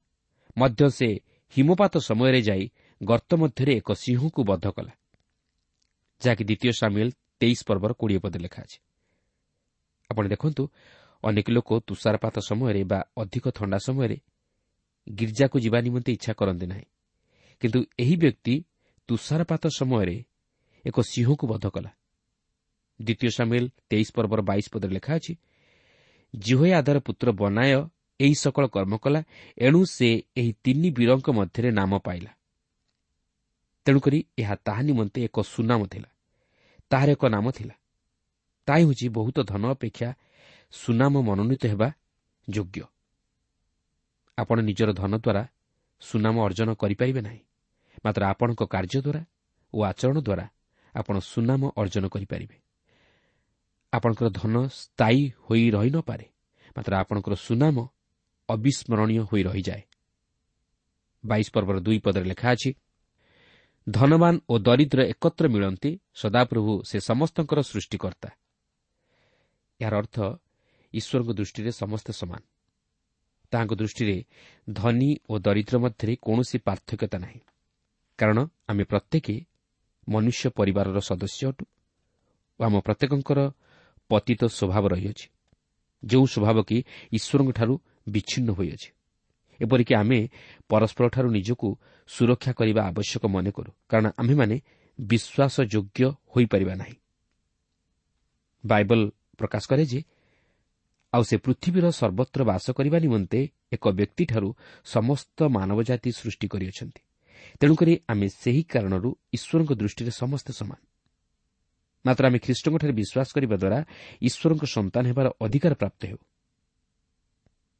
ମଧ୍ୟ ସେ ହିମପାତ ସମୟରେ ଯାଇ ଗର୍ତ୍ତ ମଧ୍ୟରେ ଏକ ସିଂହକୁ ବଧ କଲା, ଯାହାକି ଦ୍ୱିତୀୟ ସାମୁଏଲ ତେଇଶ ପର୍ବର କୋଡ଼ିଏ ପଦରେ ଲେଖା ଅଛି। ଆପଣ ଦେଖନ୍ତୁ, ଅନେକ ଲୋକ ତୁଷାରପାତ ସମୟରେ ବା ଅଧିକ ଥଣ୍ଡା ସମୟରେ ଗିର୍ଜାକୁ ଯିବା ନିମନ୍ତେ ଇଚ୍ଛା କରନ୍ତି ନାହିଁ, କିନ୍ତୁ ଏହି ବ୍ୟକ୍ତି ତୁଷାରପାତ ସମୟରେ ଏକ ସିଂହକୁ ବଧ କଲା। ଦ୍ୱିତୀୟ ସାମୁଏଲ ତେଇଶ ପର୍ବର ବାଇଶ ପଦରେ ଲେଖା ଅଛି, ଜିହୋୟାଦାର ପୁତ୍ର ବନାୟ ଏହି ସକଳ କର୍ମ କଲା, ଏଣୁ ସେ ଏହି ତିନି ବୀରଙ୍କ ମଧ୍ୟରେ ନାମ ପାଇଲା। ତେଣୁକରି ଏହା ତାହା ନିମନ୍ତେ ଏକ ସୁନାମ ଥିଲା, ତାହାର ଏକ ନାମ ଥିଲା। ତାହା ହେଉଛି ବହୁତ ଧନ ଅପେକ୍ଷା ସୁନାମ ମନୋନୀତ ହେବା ଯୋଗ୍ୟ। ଆପଣ ନିଜର ଧନ ଦ୍ୱାରା ସୁନାମ ଅର୍ଜନ କରିପାରିବେ ନାହିଁ, ମାତ୍ର ଆପଣଙ୍କ କାର୍ଯ୍ୟ ଦ୍ୱାରା ଓ ଆଚରଣ ଦ୍ୱାରା ଆପଣ ସୁନାମ ଅର୍ଜନ କରିପାରିବେ। ଆପଣଙ୍କର ଧନ ସ୍ଥାୟୀ ହୋଇ ରହିନପାରେ, ମାତ୍ର ଆପଣଙ୍କର ସୁନାମ ଅବିସ୍ମରଣୀୟ ହୋଇ ରହିଯାଏ। ବାଇଶ ପର୍ବର ଦୁଇ ପଦରେ ଲେଖା ଅଛି, ଧନବାନ ଓ ଦରିଦ୍ର ଏକତ୍ର ମିଳନ୍ତି, ସଦାପ୍ରଭୁ ସେ ସମସ୍ତଙ୍କର ସୃଷ୍ଟିକର୍ତ୍ତା। ଏହାର ଅର୍ଥ ଈଶ୍ୱରଙ୍କ ଦୃଷ୍ଟିରେ ସମସ୍ତେ ସମାନ। ତାହାଙ୍କ ଦୃଷ୍ଟିରେ ଧନୀ ଓ ଦରିଦ୍ର ମଧ୍ୟରେ କୌଣସି ପାର୍ଥକ୍ୟତା ନାହିଁ, କାରଣ ଆମେ ପ୍ରତ୍ୟେକ ମନୁଷ୍ୟ ପରିବାରର ସଦସ୍ୟ ଅଟୁ ଓ ଆମ ପ୍ରତ୍ୟେକଙ୍କର ପତିତ ସ୍ୱଭାବ ରହିଅଛି, ଯେଉଁ ସ୍ୱଭାବ କି ଈଶ୍ୱରଙ୍କଠାରୁ ବିଚ୍ଛିନ୍ନ ହୋଇଅଛି। ଏପରିକି ଆମେ ପରସ୍ପରଠାରୁ ନିଜକୁ ସୁରକ୍ଷା କରିବା ଆବଶ୍ୟକ ମନେ କରୁ, କାରଣ ଆମ୍ଭେମାନେ ବିଶ୍ୱାସଯୋଗ୍ୟ ହୋଇପାରିବା ନାହିଁ। ବାଇବଲ ପ୍ରକାଶ କରେ ଯେ ଆଉ ସେ ପୃଥିବୀର ସର୍ବତ୍ର ବାସ କରିବା ନିମନ୍ତେ ଏକ ବ୍ୟକ୍ତିଠାରୁ ସମସ୍ତ ମାନବ ଜାତି ସୃଷ୍ଟି କରିଅଛନ୍ତି। ତେଣୁକରି ଆମେ ସେହି କାରଣରୁ ଈଶ୍ୱରଙ୍କ ଦୃଷ୍ଟିରେ ସମସ୍ତେ ସମାନ। ମାତ୍ର ଆମେ ଖ୍ରୀଷ୍ଟଙ୍କଠାରେ ବିଶ୍ୱାସ କରିବା ଦ୍ୱାରା ଈଶ୍ୱରଙ୍କ ସନ୍ତାନ ହେବାର ଅଧିକାର ପ୍ରାପ୍ତ ହେଉ।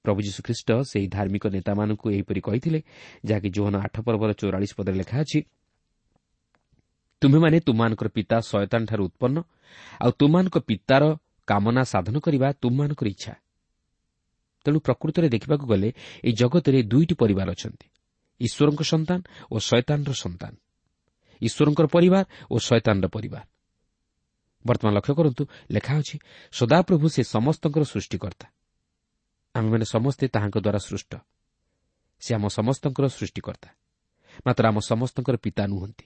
ପ୍ରଭୁ ଯୀଶୁଖ୍ରୀଷ୍ଟ ସେହି ଧାର୍ମିକ ନେତାମାନଙ୍କୁ ଏହିପରି କହିଥିଲେ, ଯାହାକି ଯୋହନ ଆଠ ପର୍ବର ଚଉରାଳିଶ ପଦରେ ଲେଖା ଅଛି, ତୁମ୍ଭେମାନେ ତୁମମାନଙ୍କର ପିତା ଶୟତାନଠାରୁ ଉତ୍ପନ୍ନ, ଆଉ ତୁମମାନଙ୍କ ପିତାର କାମନା ସାଧନ କରିବା ତୁମମାନଙ୍କର ଇଚ୍ଛା। ତେଣୁ ପ୍ରକୃତରେ ଦେଖିବାକୁ ଗଲେ ଏହି ଜଗତରେ ଦୁଇଟି ପରିବାର ଅଛନ୍ତି, ଈଶ୍ୱରଙ୍କ ସନ୍ତାନ ଓ ଶୟତାନର ସନ୍ତାନ, ଈଶ୍ୱରଙ୍କର ପରିବାର ଓ ଶୟତାନର ପରିବାର। ବର୍ତ୍ତମାନ ଲକ୍ଷ୍ୟ କରନ୍ତୁ, ଲେଖା ଅଛି, ସଦାପ୍ରଭୁ ସେ ସମସ୍ତଙ୍କର ସୃଷ୍ଟିକର୍ତ୍ତା। ଆମେମାନେ ସମସ୍ତେ ତାହାଙ୍କ ଦ୍ୱାରା ସୃଷ୍ଟ। ସେ ଆମ ସମସ୍ତଙ୍କର ସୃଷ୍ଟିକର୍ତ୍ତା, ମାତ୍ର ଆମ ସମସ୍ତଙ୍କର ପିତା ନୁହନ୍ତି।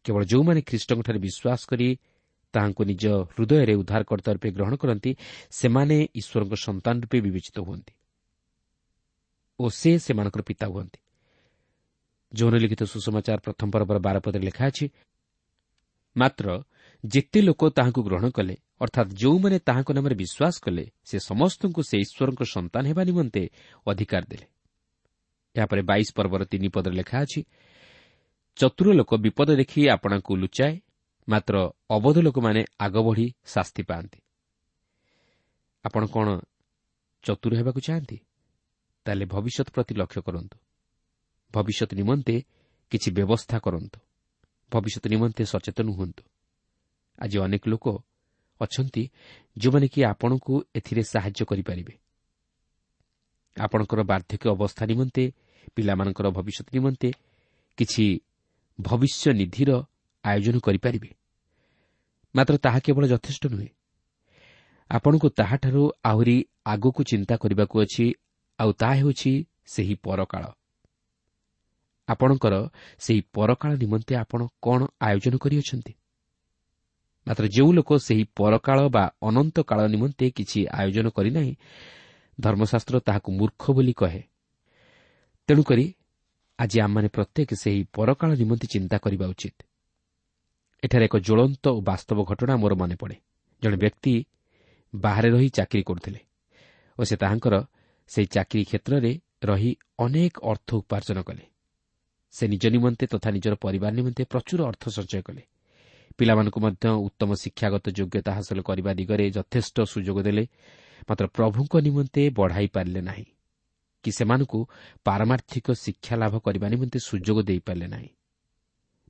କେବଳ ଯେଉଁମାନେ ଖ୍ରୀଷ୍ଟଙ୍କଠାରେ ବିଶ୍ୱାସ କରି ତାହାଙ୍କୁ ନିଜ ହୃଦୟରେ ଉଦ୍ଧାରକର୍ତ୍ତା ରୂପେ ଗ୍ରହଣ କରନ୍ତି, ସେମାନେ ଈଶ୍ୱରଙ୍କ ସନ୍ତାନ ରୂପେ ବିବେଚିତ ହୁଅନ୍ତି ଓ ସେ ସେମାନଙ୍କର ପିତା ହୁଅନ୍ତି। ଯୋହନ ଲିଖିତ ସୁସମାଚାର ପ୍ରଥମ ପର୍ବର ବାର ପଦରେ ଲେଖା ଅଛି, ମାତ୍ର ଯେତେ ଲୋକ ତାହାଙ୍କୁ ଗ୍ରହଣ କଲେ, ଅର୍ଥାତ୍ ଯେଉଁମାନେ ତାହାଙ୍କ ନାମରେ ବିଶ୍ୱାସ କଲେ, ସେ ସମସ୍ତଙ୍କୁ ସେ ଈଶ୍ୱରଙ୍କ ସନ୍ତାନ ହେବା ନିମନ୍ତେ ଅଧିକାର ଦେଲେ। ଏହାପରେ ବାଇଶ ପର୍ବର ତିନି ପଦରେ ଲେଖା ଅଛି, ଚତୁର ଲୋକ ବିପଦ ଦେଖି ଆପଣଙ୍କୁ ଲୁଚାଏ, ମାତ୍ର ଅବୋଧ ଲୋକମାନେ ଆଗ ବଢ଼ି ଶାସ୍ତି ପାଆନ୍ତି। ଆପଣ କ'ଣ ଚତୁର ହେବାକୁ ଚାହାନ୍ତି? ତାହେଲେ ଭବିଷ୍ୟତ ପ୍ରତି ଲକ୍ଷ୍ୟ କରନ୍ତୁ। ଭବିଷ୍ୟତ ନିମନ୍ତେ କିଛି ବ୍ୟବସ୍ଥା କରନ୍ତୁ। ଭବିଷ୍ୟତ ନିମନ୍ତେ ସଚେତନ ହୁଅନ୍ତୁ। ଆଜି ଅନେକ ଲୋକ ଅଛନ୍ତି ଯେଉଁମାନେ କି ଆପଣଙ୍କୁ ଏଥିରେ ସାହାଯ୍ୟ କରିପାରିବେ। ଆପଣଙ୍କର ବାର୍ଦ୍ଧକ୍ୟ ଅବସ୍ଥା ନିମନ୍ତେ, ପିଲାମାନଙ୍କର ଭବିଷ୍ୟତ ନିମନ୍ତେ କିଛି ଭବିଷ୍ୟ ନିଧିର ଆୟୋଜନ କରିପାରିବେ। ମାତ୍ର ତାହା କେବଳ ଯଥେଷ୍ଟ ନୁହେଁ। ଆପଣଙ୍କୁ ତାହାଠାରୁ ଆହୁରି ଆଗକୁ ଚିନ୍ତା କରିବାକୁ ଅଛି, ଆଉ ତାହା ହେଉଛି ସେହି ପରକାଳ। ଆପଣଙ୍କର ସେହି ପରକାଳ ନିମନ୍ତେ ଆପଣ କ'ଣ ଆୟୋଜନ କରିଅଛନ୍ତି? ମାତ୍ର ଯେଉଁ ଲୋକ ସେହି ପରକାଳ ବା ଅନନ୍ତ କାଳ ନିମନ୍ତେ କିଛି ଆୟୋଜନ କରିନାହିଁ, ଧର୍ମଶାସ୍ତ୍ର ତାହାକୁ ମୂର୍ଖ ବୋଲି କହେ। ତେଣୁକରି ଆଜି ଆମମାନେ ପ୍ରତ୍ୟେକ ସେହି ପରକାଳ ନିମନ୍ତେ ଚିନ୍ତା କରିବା ଉଚିତ। ଏଠାରେ ଏକ ଜ୍ୱଳନ୍ତ ଓ ବାସ୍ତବ ଘଟଣା ମୋର ମନେ ପଡ଼େ। ଜଣେ ବ୍ୟକ୍ତି ବାହାରେ ରହି ଚାକିରି କରୁଥିଲେ ଓ ସେ ତାହାଙ୍କର ସେହି ଚାକିରି କ୍ଷେତ୍ରରେ ରହି ଅନେକ ଅର୍ଥ ଉପାର୍ଜନ କଲେ। ସେ ନିଜ ନିମନ୍ତେ ତଥା ନିଜର ପରିବାର ନିମନ୍ତେ ପ୍ରଚୁର ଅର୍ଥ ସଞ୍ଚୟ କଲେ। ପିଲାମାନଙ୍କୁ ମଧ୍ୟ ଉତ୍ତମ ଶିକ୍ଷାଗତ ଯୋଗ୍ୟତା ହାସଲ କରିବା ଦିଗରେ ଯଥେଷ୍ଟ ସୁଯୋଗ ଦେଲେ, ମାତ୍ର ପ୍ରଭୁଙ୍କ ନିମନ୍ତେ ବଢ଼ାଇ ପାରିଲେ ନାହିଁ କି ସେମାନଙ୍କୁ ପାରମାର୍ଥିକ ଶିକ୍ଷା ଲାଭ କରିବା ନିମନ୍ତେ ସୁଯୋଗ ଦେଇପାରିଲେ ନାହିଁ।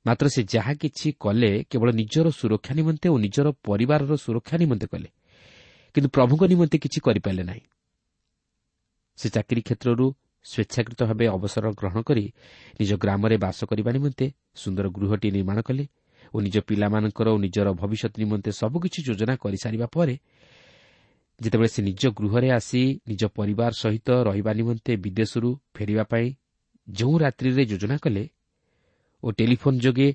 ମାତ୍ର ସେ ଯାହା କିଛି କଲେ କେବଳ ନିଜର ସୁରକ୍ଷା ନିମନ୍ତେ ଓ ନିଜର ପରିବାରର ସୁରକ୍ଷା ନିମନ୍ତେ କଲେ, କିନ୍ତୁ ପ୍ରଭୁଙ୍କ ନିମନ୍ତେ କିଛି କରିପାରିଲେ ନାହିଁ। ସେ ଚାକିରି କ୍ଷେତ୍ରରୁ ସ୍ୱେଚ୍ଛାକୃତ ଭାବେ ଅବସର ଗ୍ରହଣ କରି ନିଜ ଗ୍ରାମରେ ବାସ କରିବା ନିମନ୍ତେ ସୁନ୍ଦର ଗୃହଟି ନିର୍ମାଣ କଲେ ଓ ନିଜ ପିଲାମାନଙ୍କର ଓ ନିଜର ଭବିଷ୍ୟତ ନିମନ୍ତେ ସବୁକିଛି ଯୋଜନା କରିସାରିବା ପରେ ଯେତେବେଳେ ସେ ନିଜ ଗୃହରେ ଆସି ନିଜ ପରିବାର ସହିତ ରହିବା ନିମନ୍ତେ ବିଦେଶରୁ ଫେରିବା ପାଇଁ ଯେଉଁ ରାତ୍ରିରେ ଯୋଜନା କଲେ ଓ ଟେଲିଫୋନ୍ ଯୋଗେ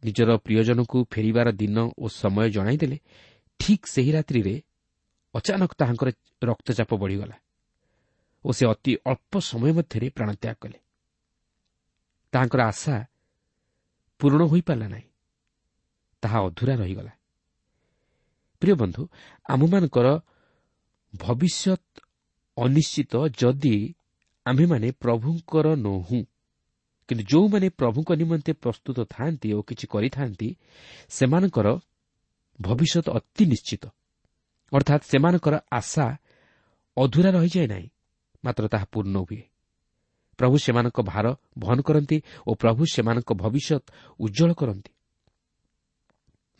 ନିଜର ପ୍ରିୟଜନଙ୍କୁ ଫେରିବାର ଦିନ ଓ ସମୟ ଜଣାଇଦେଲେ, ଠିକ୍ ସେହି ରାତ୍ରିରେ ଅଚାନକ ତାହାଙ୍କର ରକ୍ତଚାପ ବଢ଼ିଗଲା ଓ ସେ ଅତି ଅଳ୍ପ ସମୟ ମଧ୍ୟରେ ପ୍ରାଣତ୍ୟାଗ କଲେ। ତାହାଙ୍କର ଆଶା ପୂରଣ ହୋଇପାରିଲା ନାହିଁ, ତାହା ଅଧୁରା ରହିଗଲା। ପ୍ରିୟ ବନ୍ଧୁ, ଆମମାନଙ୍କର ଭବିଷ୍ୟତ ଅନିଶ୍ଚିତ ଯଦି ଆମ୍ଭେମାନେ ପ୍ରଭୁଙ୍କର ନୋହୁଁ। କିନ୍ତୁ ଯେଉଁମାନେ ପ୍ରଭୁଙ୍କ ନିମନ୍ତେ ପ୍ରସ୍ତୁତ ଥାଆନ୍ତି ଓ କିଛି କରିଥାନ୍ତି, ସେମାନଙ୍କର ଭବିଷ୍ୟତ ଅତି ନିଶ୍ଚିତ, ଅର୍ଥାତ୍ ସେମାନଙ୍କର ଆଶା ଅଧୁରା ରହିଯାଏ ନାହିଁ, ମାତ୍ର ତାହା ପୂର୍ଣ୍ଣ ହୁଏ। ପ୍ରଭୁ ସେମାନଙ୍କ ଭାର ବହନ କରନ୍ତି ଓ ପ୍ରଭୁ ସେମାନଙ୍କ ଭବିଷ୍ୟତ ଉଜ୍ଜଳ କରନ୍ତି।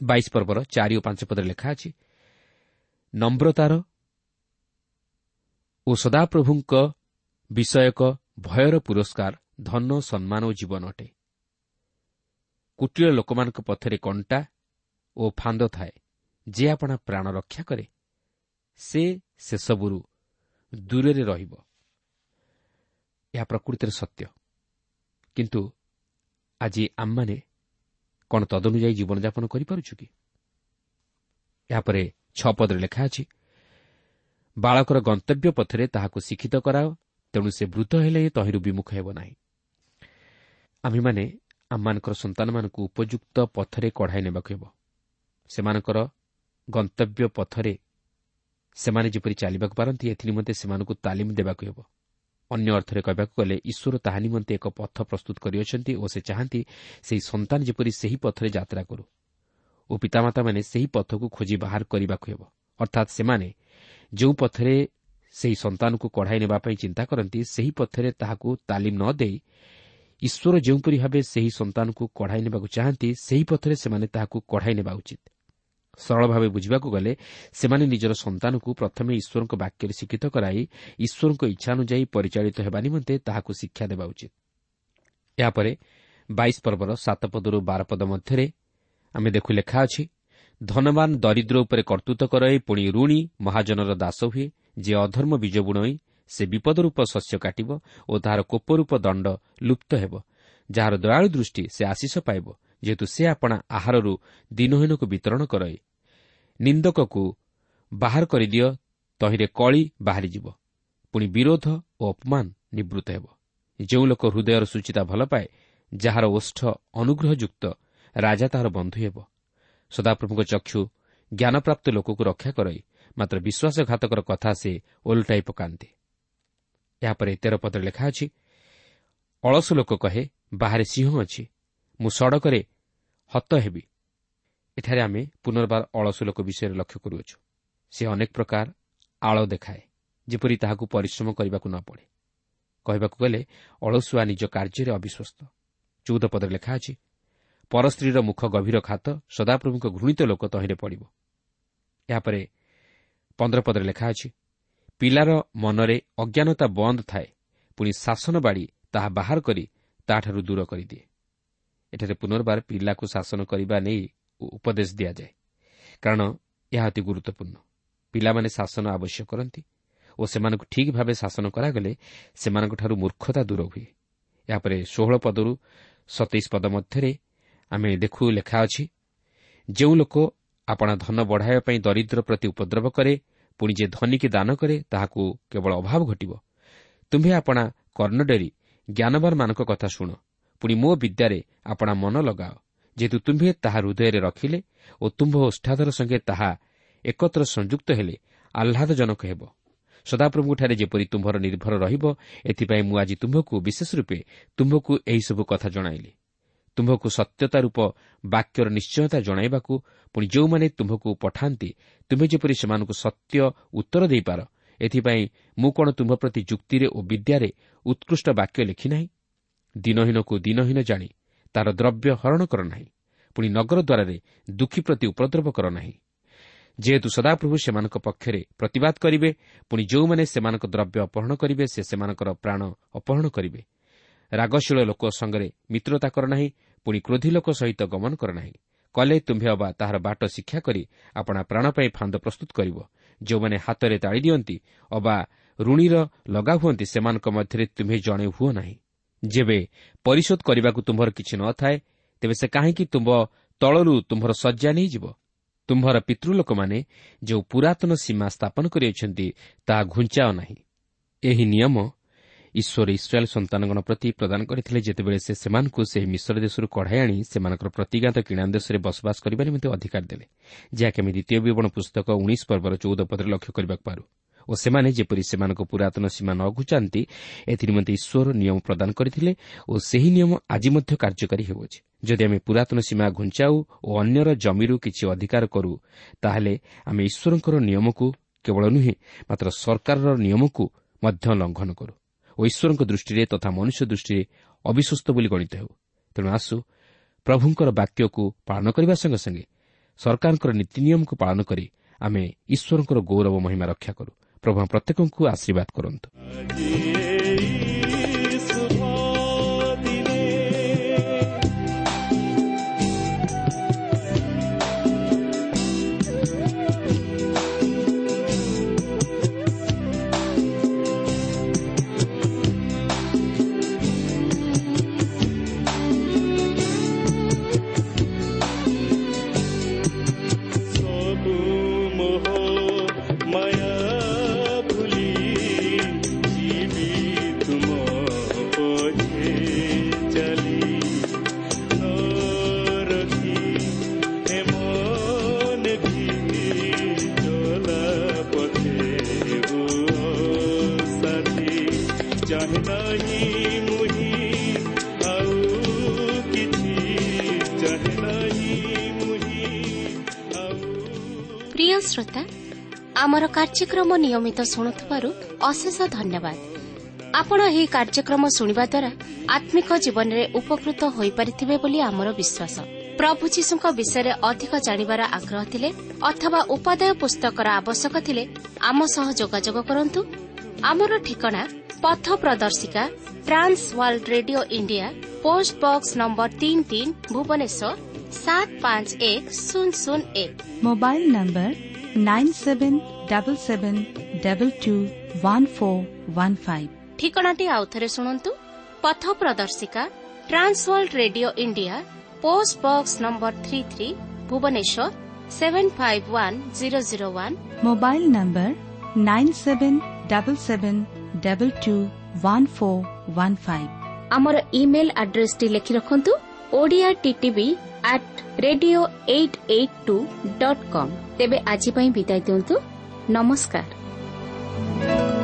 ବାଇଶ ପର୍ବର ଚାରି ଓ ପାଞ୍ଚ ପଦରେ ଲେଖା ଅଛି, ନମ୍ରତାର ଓ ସଦାପ୍ରଭୁଙ୍କ ବିଷୟକ ଭୟର ପୁରସ୍କାର ଧନ, ସମ୍ମାନ ଓ ଜୀବନ ଅଟେ। କୁଟିଳ ଲୋକମାନଙ୍କ ପଥରେ କଣ୍ଟା ଓ ଫାନ୍ଦ ଥାଏ, ଯେ ଆପଣା ପ୍ରାଣ ରକ୍ଷା କରେ ସେ ସେସବୁରୁ ଦୂରରେ ରହିବ। ଏହା ପ୍ରକୃତିରେ ସତ୍ୟ, କିନ୍ତୁ ଆଜି ଆମମାନେ କ'ଣ ତଦନୁଯାୟୀ ଜୀବନଯାପନ କରିପାରୁଛୁ କି? ଏହାପରେ ଛଅ ପଦରେ ଲେଖା ଅଛି, ବାଳକର ଗନ୍ତବ୍ୟ ପଥରେ ତାହାକୁ ଶିକ୍ଷିତ କରାଅ, ତେଣୁ ସେ ବୃଦ୍ଧ ହେଲେ ତହିଁରୁ ବିମୁଖ ହେବ ନାହିଁ। ଆମ୍ଭେମାନେ ଆମମାନଙ୍କର ସନ୍ତାନମାନଙ୍କୁ ଉପଯୁକ୍ତ ପଥରେ କଢ଼ାଇ ନେବାକୁ ହେବ। ସେମାନଙ୍କର ଗନ୍ତବ୍ୟ ପଥରେ ସେମାନେ ଯେପରି ଚାଲିବାକୁ ପାରନ୍ତି, ଏଥିନିମନ୍ତେ ସେମାନଙ୍କୁ ତାଲିମ ଦେବାକୁ ହେବ। ଅନ୍ୟ ଅର୍ଥରେ କହିବାକୁ ଗଲେ, ଈଶ୍ୱର ତାହା ନିମନ୍ତେ ଏକ ପଥ ପ୍ରସ୍ତୁତ କରିଅଛନ୍ତି ଓ ସେ ଚାହାନ୍ତି ସେହି ସନ୍ତାନ ଯେପରି ସେହି ପଥରେ ଯାତ୍ରା କରୁ ଓ ପିତାମାତାମାନେ ସେହି ପଥକୁ ଖୋଜି ବାହାର କରିବାକୁ ହେବ। ଅର୍ଥାତ୍ ସେମାନେ ଯେଉଁ ପଥରେ ସେହି ସନ୍ତାନକୁ କଢ଼ାଇ ନେବା ପାଇଁ ଚିନ୍ତା କରନ୍ତି, ସେହି ପଥରେ ତାହାକୁ ତାଲିମ ନ ଦେଇ ଈଶ୍ୱର ଯେଉଁପରି ଭାବେ ସେହି ସନ୍ତାନକୁ କଢ଼ାଇ ନେବାକୁ ଚାହାନ୍ତି, ସେହି ପଥରେ ସେମାନେ ତାହାକୁ କଢ଼ାଇ ନେବା ଉଚିତ। ସରଳ ଭାବେ ବୁଝିବାକୁ ଗଲେ, ସେମାନେ ନିଜର ସନ୍ତାନକୁ ପ୍ରଥମେ ଈଶ୍ୱରଙ୍କ ବାକ୍ୟରେ ଶିକ୍ଷିତ କରାଇ ଈଶ୍ୱରଙ୍କ ଇଚ୍ଛାନୁଯାୟୀ ପରିଚାଳିତ ହେବା ନିମନ୍ତେ ତାହାକୁ ଶିକ୍ଷା ଦେବା ଉଚିତ। ଏହାପରେ ବାଇଶ ପର୍ବର ସାତ ପଦରୁ ବାର ପଦ ମଧ୍ୟରେ ଆମେ ଦେଖୁ ଲେଖା ଅଛି, ଧନବାନ ଦରିଦ୍ର ଉପରେ କର୍ତ୍ତୃତ୍ୱ କରଇ, ପୁଣି ଋଣୀ ମହାଜନର ଦାସ ହୁଏ। ଯେ ଅଧର୍ମ ବୀଜ ବୁଣଇ ସେ ବିପଦରୂପ ଶସ୍ୟ କାଟିବ ଓ ତାହାର କୋପରୂପ ଦଣ୍ଡ ଲୁପ୍ତ ହେବ। ଯାହାର ଦୟାଳୁ ଦୃଷ୍ଟି ସେ ଆଶିଷ ପାଇବ, ଯେହେତୁ ସେ ଆପଣା ଆହାରରୁ ଦିନହୀନକୁ ବିତରଣ କରଇ। ନିନ୍ଦକକୁ ବାହାର କରିଦିଅ, ତହିଁରେ କଳି ବାହାରିଯିବ, ପୁଣି ବିରୋଧ ଓ ଅପମାନ ନିବୃତ୍ତ ହେବ। ଯେଉଁ ଲୋକ ହୃଦୟର ସୂଚିତା ଭଲ ପାଏ, ଯାହାର ଓଷ୍ଠ ଅନୁଗ୍ରହଯୁକ୍ତ, ରାଜା ତାହାର ବନ୍ଧୁ ହେବ। ସଦାପ୍ରଭୁଙ୍କ ଚକ୍ଷୁ ଜ୍ଞାନପ୍ରାପ୍ତ ଲୋକକୁ ରକ୍ଷା କରଇ, ମାତ୍ର ବିଶ୍ୱାସଘାତକର କଥା ସେ ଓଲଟାଇ ପକାନ୍ତି। ଏହାପରେ ତେର ପଦରେ ଲେଖା ଅଛି, ଅଳସ ଲୋକ କହେ, ବାହାରେ ସିଂହ ଅଛି, ମୁଁ ସଡ଼କରେ ହତ ହେବି। ଏଠାରେ ଆମେ ପୁନର୍ବାର ଅଳସୁ ଲୋକ ବିଷୟରେ ଲକ୍ଷ୍ୟ କରୁଅଛୁ। ସେ ଅନେକ ପ୍ରକାର ଆଳ ଦେଖାଏ, ଯେପରି ତାହାକୁ ପରିଶ୍ରମ କରିବାକୁ ନ ପଡ଼େ। କହିବାକୁ ଗଲେ ଅଳସୁଆ ନିଜ କାର୍ଯ୍ୟରେ ଅବିଶ୍ୱସ୍ତ। ଚଉଦ ପଦରେ ଲେଖା ଅଛି, ପରସ୍ତ୍ରୀର ମୁଖ ଗଭୀର ଖାତ, ସଦାପ୍ରଭୁଙ୍କ ଘୃଣିତ ଲୋକ ତହିଁରେ ପଡ଼ିବ। ଏହାପରେ ପନ୍ଦର ପଦରେ ଲେଖା ଅଛି, ପିଲାର ମନରେ ଅଜ୍ଞାନତା ବନ୍ଦ ଥାଏ, ପୁଣି ଶାସନ ବାଡ଼ି ତାହା ବାହାର କରି ତାହାଠାରୁ ଦୂର କରିଦିଏ। ଏଠାରେ ପୁନର୍ବାର ପିଲାକୁ ଶାସନ କରିବା ନେଇ ଉପଦେଶ ଦିଆଯାଏ, କାରଣ ଏହା ଅତି ଗୁରୁତ୍ୱପୂର୍ଣ୍ଣ। ପିଲାମାନେ ଶାସନ ଆବଶ୍ୟକ କରନ୍ତି ଓ ସେମାନଙ୍କୁ ଠିକ୍ ଭାବେ ଶାସନ କରାଗଲେ ସେମାନଙ୍କଠାରୁ ମୂର୍ଖତା ଦୂର ହୁଏ। ଏହାପରେ ଷୋହଳ ପଦରୁ ସତେଇଶ ପଦ ମଧ୍ୟରେ ଆମେ ଦେଖୁ ଲେଖା ଅଛି, ଯେଉଁ ଲୋକ ଆପଣା ଧନ ବଢ଼ାଇବା ପାଇଁ ଦରିଦ୍ର ପ୍ରତି ଉପଦ୍ରବ କରେ, ପୁଣି ଯେ ଧନୀକି ଦାନ କରେ ତାହାକୁ କେବଳ ଅଭାବ ଘଟିବ। ତୁମ୍ଭେ ଆପଣା କର୍ଣ୍ଣ ଡେରି ଜ୍ଞାନବାନମାନଙ୍କ କଥା ଶୁଣ, ପୁଣି ମୋ ବିଦ୍ୟାରେ ଆପଣା ମନ ଲଗାଅ, ଯେହେତୁ ତୁମ୍ଭେ ତାହା ହୃଦୟରେ ରଖିଲେ ଓ ତୁମ୍ଭ ଓଷ୍ଠାଧର ସଙ୍ଗେ ତାହା ଏକତ୍ର ସଂଯୁକ୍ତ ହେଲେ ଆହ୍ଲାଦଜନକ ହେବ। ସଦାପ୍ରଭୁଙ୍କଠାରେ ଯେପରି ତୁମ୍ଭର ନିର୍ଭର ରହିବ, ଏଥିପାଇଁ ମୁଁ ଆଜି ତୁମ୍ଭକୁ ବିଶେଷ ରୂପେ ତୁମ୍ଭକୁ ଏହିସବୁ କଥା ଜଣାଇଲି। ତୁମ୍ଭକୁ ସତ୍ୟତା ରୂପ ବାକ୍ୟର ନିଶ୍ଚୟତା ଜଣାଇବାକୁ, ପୁଣି ଯେଉଁମାନେ ତୁମ୍ଭକୁ ପଠାନ୍ତି ତୁମ୍ଭେ ଯେପରି ସେମାନଙ୍କୁ ସତ୍ୟ ଉତ୍ତର ଦେଇପାର, ଏଥିପାଇଁ ମୁଁ କ'ଣ ତୁମ୍ଭ ପ୍ରତି ଯୁକ୍ତିରେ ଓ ବିଦ୍ୟାରେ ଉତ୍କୃଷ୍ଟ ବାକ୍ୟ ଲେଖିନାହିଁ? ଦିନହୀନକୁ ଦିନହୀନ ଜାଣି ତାର ଦ୍ରବ୍ୟ ହରଣ କର ନାହିଁ, ପୁଣି ନଗର ଦ୍ୱାରରେ ଦୁଃଖୀ ପ୍ରତି ଉପଦ୍ରବ କର ନାହିଁ। ଯେହେତୁ ସଦାପ୍ରଭୁ ସେମାନଙ୍କ ପକ୍ଷରେ ପ୍ରତିବାଦ କରିବେ, ପୁଣି ଯେଉଁମାନେ ସେମାନଙ୍କ ଦ୍ରବ୍ୟ ଅପହରଣ କରିବେ ସେ ସେମାନଙ୍କର ପ୍ରାଣ ଅପହରଣ କରିବେ। ରାଗଶୀଳ ଲୋକ ସଙ୍ଗରେ ମିତ୍ରତା କର ନାହିଁ, ପୁଣି କ୍ରୋଧୀ ଲୋକ ସହିତ ଗମନ କର ନାହିଁ। କଲେ ତୁମ୍ଭେ ଅବା ତାହାର ବାଟ ଶିକ୍ଷା କରି ଆପଣା ପ୍ରାଣ ପାଇଁ ଫାନ୍ଦ ପ୍ରସ୍ତୁତ କରିବ। ଯେଉଁମାନେ ହାତରେ ତାଳି ଦିଅନ୍ତି ଅବା ଋଣୀର ଲଗା ହୁଅନ୍ତି, ସେମାନଙ୍କ ମଧ୍ୟରେ ତୁମ୍ଭେ ଜଣେ ହୁଅ ନାହିଁ। ଯେବେ ପରିଶୋଧ କରିବାକୁ ତୁମ୍ଭର କିଛି ନଥାଏ, ତେବେ ସେ କାହିଁକି ତୁମ୍ଭ ତଳରୁ ତୁମ୍ଭର ଶଯ୍ୟା ନେଇଯିବ? ତୁମ୍ଭର ପିତୃଲୋକମାନେ ଯେଉଁ ପୁରାତନ ସୀମା ସ୍ଥାପନ କରିଅଛନ୍ତି ତାହା ଘୁଞ୍ଚାଅ ନାହିଁ। ଏହି ନିୟମ ଈଶ୍ୱର ଇସ୍ରାଏଲ୍ ସନ୍ତାନଗଣ ପ୍ରତି ପ୍ରଦାନ କରିଥିଲେ, ଯେତେବେଳେ ସେ ସେମାନଙ୍କୁ ସେହି ମିଶ୍ର ଦେଶରୁ କଢ଼ାଇ ଆଣି ସେମାନଙ୍କର ପ୍ରତିଜ୍ଞାତ କିଣାନ ଦେଶରେ ବସବାସ କରିବା ନିମନ୍ତେ ଅଧିକାର ଦେଲେ, ଯାହାକି ଆମେ ଦ୍ୱିତୀୟ ବିବରଣ ପୁସ୍ତକ ଉଣେଇଶ ପର୍ବର ଚଉଦ ପଦରେ ଲକ୍ଷ୍ୟ କରିବାକୁ ପାରୁ। ଓ ସେମାନେ ଯେପରି ସେମାନଙ୍କ ପୁରାତନ ସୀମା ନ ଘୁଞ୍ଚାନ୍ତି, ଏଥିନିମନ୍ତେ ଈଶ୍ୱର ନିୟମ ପ୍ରଦାନ କରିଥିଲେ ଓ ସେହି ନିୟମ ଆଜି ମଧ୍ୟ କାର୍ଯ୍ୟକାରୀ ହେଉଅଛି। ଯଦି ଆମେ ପୁରାତନ ସୀମା ଘୁଞ୍ଚାଉ ଓ ଅନ୍ୟର ଜମିରୁ କିଛି ଅଧିକାର କରୁ, ତାହେଲେ ଆମେ ଈଶ୍ୱରଙ୍କର ନିୟମକୁ କେବଳ ନୁହେଁ, ମାତ୍ର ସରକାରର ନିୟମକୁ ମଧ୍ୟ ଲଙ୍ଘନ କରୁ ଓ ଈଶ୍ୱରଙ୍କ ଦୃଷ୍ଟିରେ ତଥା ମନୁଷ୍ୟ ଦୃଷ୍ଟିରେ ଅବିଶ୍ୱସ୍ତ ବୋଲି ଗଣିତ ହେଉ। ତେଣୁ ଆସୁ ପ୍ରଭୁଙ୍କର ବାକ୍ୟକୁ ପାଳନ କରିବା ସଙ୍ଗେ ସଙ୍ଗେ ସରକାରଙ୍କର ନୀତି ନିୟମକୁ ପାଳନ କରି ଆମେ ଈଶ୍ୱରଙ୍କର ଗୌରବ ମହିମା ରକ୍ଷା କରୁ। ପ୍ରଭୁ ପ୍ରତ୍ୟେକଙ୍କୁ ଆଶୀର୍ବାଦ କରନ୍ତୁ। ପ୍ରିୟ ଶ୍ରୋତା, ଆମର କାର୍ଯ୍ୟକ୍ରମ ନିୟମିତ ଶୁଣୁଥିବାରୁ ଅଶେଷ ଧନ୍ୟବାଦ। ଆପଣ ଏହି କାର୍ଯ୍ୟକ୍ରମ ଶୁଣିବା ଦ୍ୱାରା ଆତ୍ମିକ ଜୀବନରେ ଉପକୃତ ହୋଇପାରିଥିବେ ବୋଲି ଆମର ବିଶ୍ୱାସ। ପ୍ରଭୁ ଯୀଶୁଙ୍କ ବିଷୟରେ ଅଧିକ ଜାଣିବାର ଆଗ୍ରହ ଥିଲେ ଅଥବା ଉପାଦେୟ ପୁସ୍ତକର ଆବଶ୍ୟକ ଥିଲେ ଆମ ସହ ଯୋଗାଯୋଗ କରନ୍ତୁ। ଆମର ଠିକଣା ପଥ ପ୍ରଦର୍ଶିକା, Trans World Radio India, post box number ତିନି ତିନି, ଭୁବନେଶ୍ୱର ସାତ ପାଞ୍ଚ ଏକ ଶୂନ ଶୂନ ଏକ। Mobile number nine seven double seven double two one four one five. ଠିକଣାଟି ଆଉଥରେ ଶୁଣନ୍ତୁ। ପଥ ପ୍ରଦର୍ଶିକା, Trans World Radio India, post box number three three, Bhubaneswar seven five one zero zero one. Mobile number nine seven double seven double two one four one five. ଆମର email ଆଡ୍ରେସଟି ଲେଖି ରଖନ୍ତୁ, Odia TTV at radio eight eight two dot com. ତେବେ ଆଜି ପାଇଁ ବିଦାୟ ଦିଅନ୍ତୁ। ନମସ୍କାର।